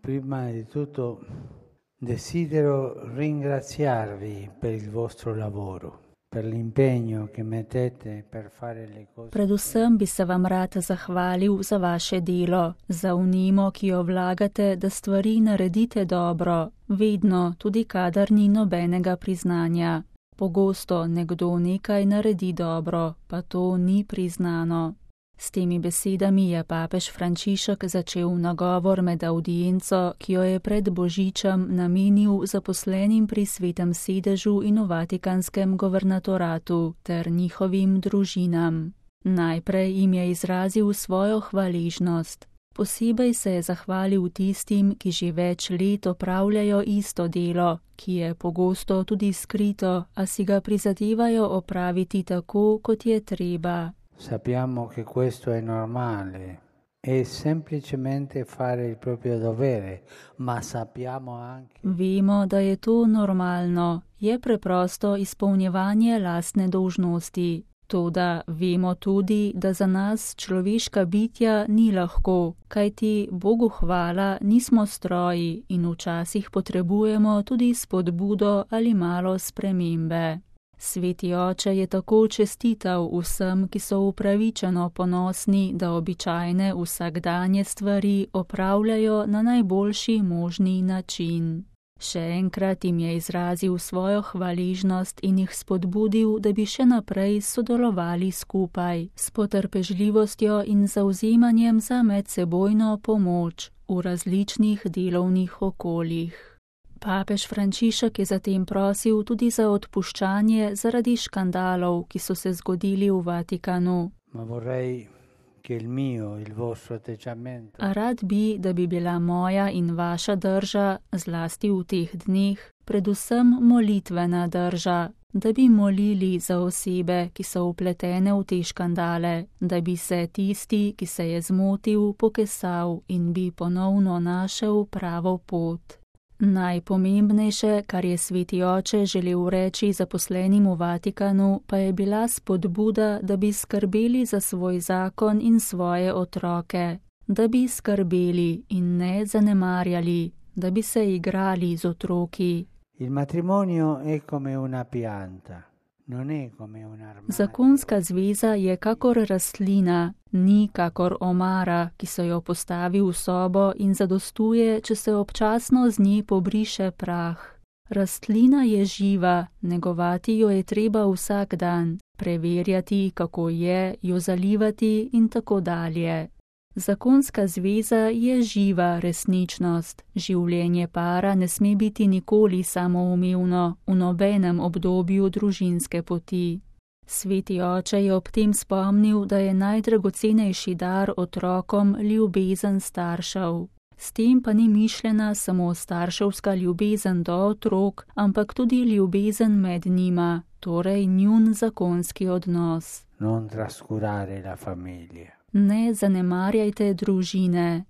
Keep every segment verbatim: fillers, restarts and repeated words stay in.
Prima di tutto desidero ringraziarvi per il vostro lavoro, per l'impegno che mettete per fare le cose. Predvsem bi se vam rad zahvalil za vaše delo, za vnemo, ki jo vlagate, da stvari naredite dobro, vedno, tudi kadar ni nobenega priznanja. Pogosto nekdo nekaj naredi dobro, pa to ni priznano. S temi besedami je papež Frančišek začel nagovor med avdienco, ki jo je pred Božičem namenil zaposlenim pri Svetem sedežu in v Vatikanskem governatoratu ter njihovim družinam. Najprej jim je izrazil svojo hvaležnost. Posebej se je zahvalil tistim, ki že več let opravljajo isto delo, ki je pogosto tudi skrito, a si ga prizadevajo opraviti tako, kot je treba. Sappiamo che questo è normale, è semplicemente fare il proprio dovere, ma sappiamo anche... Vemo, da je to normalno, je preprosto izpolnjevanje lastne dolžnosti. Toda vemo tudi, da za nas človeška bitja ni lahko, kajti Bogu hvala nismo stroji in včasih potrebujemo tudi spodbudo ali malo spremembe. Sveti oče je tako čestital vsem, ki so upravičeno ponosni, da običajne vsakdanje stvari opravljajo na najboljši možni način. Še enkrat jim je izrazil svojo hvaležnost in jih spodbudil, da bi še naprej sodelovali skupaj, s potrpežljivostjo in zavzemanjem za medsebojno pomoč v različnih delovnih okoljih. Papež Frančišek je zatem prosil tudi za odpuščanje zaradi škandalov, ki so se zgodili v Vatikanu. Ma vorrei che il mio, il vostro atteggiamento. A rad bi, da bi bila moja in vaša drža, zlasti v teh dneh, predvsem molitvena drža, da bi molili za osebe, ki so vpletene v te škandale, da bi se tisti, ki se je zmotil, pokesal in bi ponovno našel pravo pot. Najpomembnejše, kar je sveti oče želel reči zaposlenim v Vatikanu, pa je bila spodbuda, da bi skrbeli za svoj zakon in svoje otroke, da bi skrbeli in ne zanemarjali, da bi se igrali z otroki. Il matrimonio è come una pianta, non è come un armadio. Zakonska zveza je kakor rastlina, ni kakor omara, ki se jo postavi v sobo in zadostuje, če se občasno z nje pobriše prah. Rastlina je živa, negovati jo je treba vsak dan, preverjati, kako je, jo zalivati in tako dalje. Zakonska zveza je živa resničnost. Življenje para ne sme biti nikoli samoumevno, v nobenem obdobju družinske poti. Sveti oče je ob tem spomnil, da je najdragocenejši dar otrokom ljubezen staršev. S tem pa ni mišljena samo starševska ljubezen do otrok, ampak tudi ljubezen med njima, torej njun zakonski odnos. Non trascurare la famiglia. Ne zanemarjajte družine.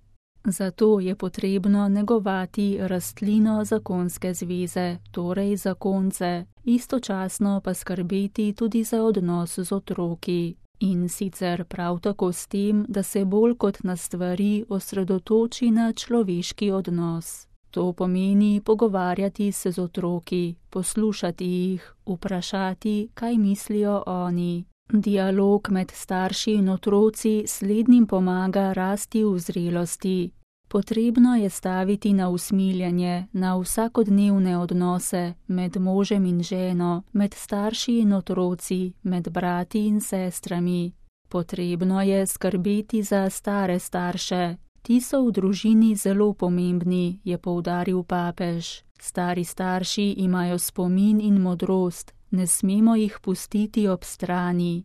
Zato je potrebno negovati rastlino zakonske zveze, torej zakonce, istočasno pa skrbeti tudi za odnos z otroki. In sicer prav tako s tem, da se bolj kot na stvari osredotoči na človeški odnos. To pomeni pogovarjati se z otroki, poslušati jih, vprašati, kaj mislijo oni. Dialog med starši in otroci slednjim pomaga rasti v zrelosti. Potrebno je staviti na usmiljenje, na vsakodnevne odnose med možem in ženo, med starši in otroci, med brati in sestrami. Potrebno je skrbeti za stare starše. Ti so v družini zelo pomembni, je poudaril papež. Stari starši imajo spomin in modrost. Ne smemo jih pustiti ob strani.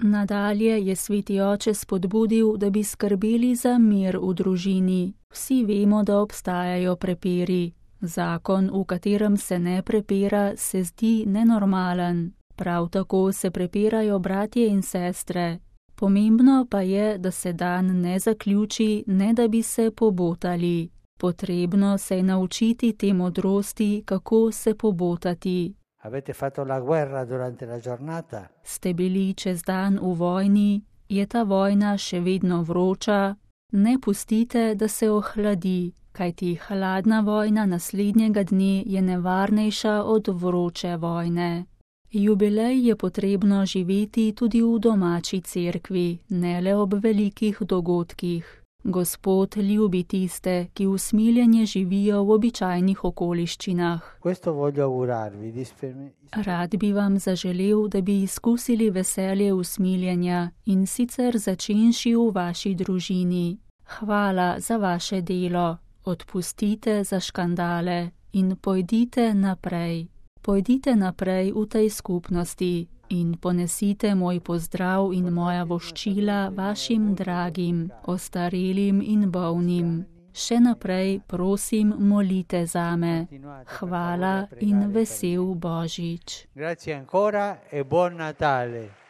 Nadalje je sveti oče spodbudil, da bi skrbeli za mir v družini. Vsi vemo, da obstajajo prepiri. Zakon, v katerem se ne prepira, se zdi nenormalen. Prav tako se prepirajo bratje in sestre. Pomembno pa je, da se dan ne zaključi, ne da bi se pobotali. Potrebno se je naučiti te modrosti, kako se pobotati. Avete fatto la guerra durante la giornata? Ste bili čez dan v vojni, je ta vojna še vedno vroča, ne pustite, da se ohladi. kajti hladna vojna naslednjega dne je nevarnejša od vroče vojne. Jubilej je potrebno živeti tudi v domači cerkvi, ne le ob velikih dogodkih. Gospod ljubi tiste, ki usmiljenje živijo v običajnih okoliščinah. Rad bi vam zaželel, da bi izkusili veselje usmiljenja in sicer začenši v vaši družini. Hvala za vaše delo, odpustite za škandale in pojdite naprej. Pojdite naprej v tej skupnosti in ponesite moj pozdrav in moja voščila vašim dragim, ostarelim in bolnim. Še naprej, prosim, molite zame. Hvala in vesel Božič. Grazie ancora e buon Natale.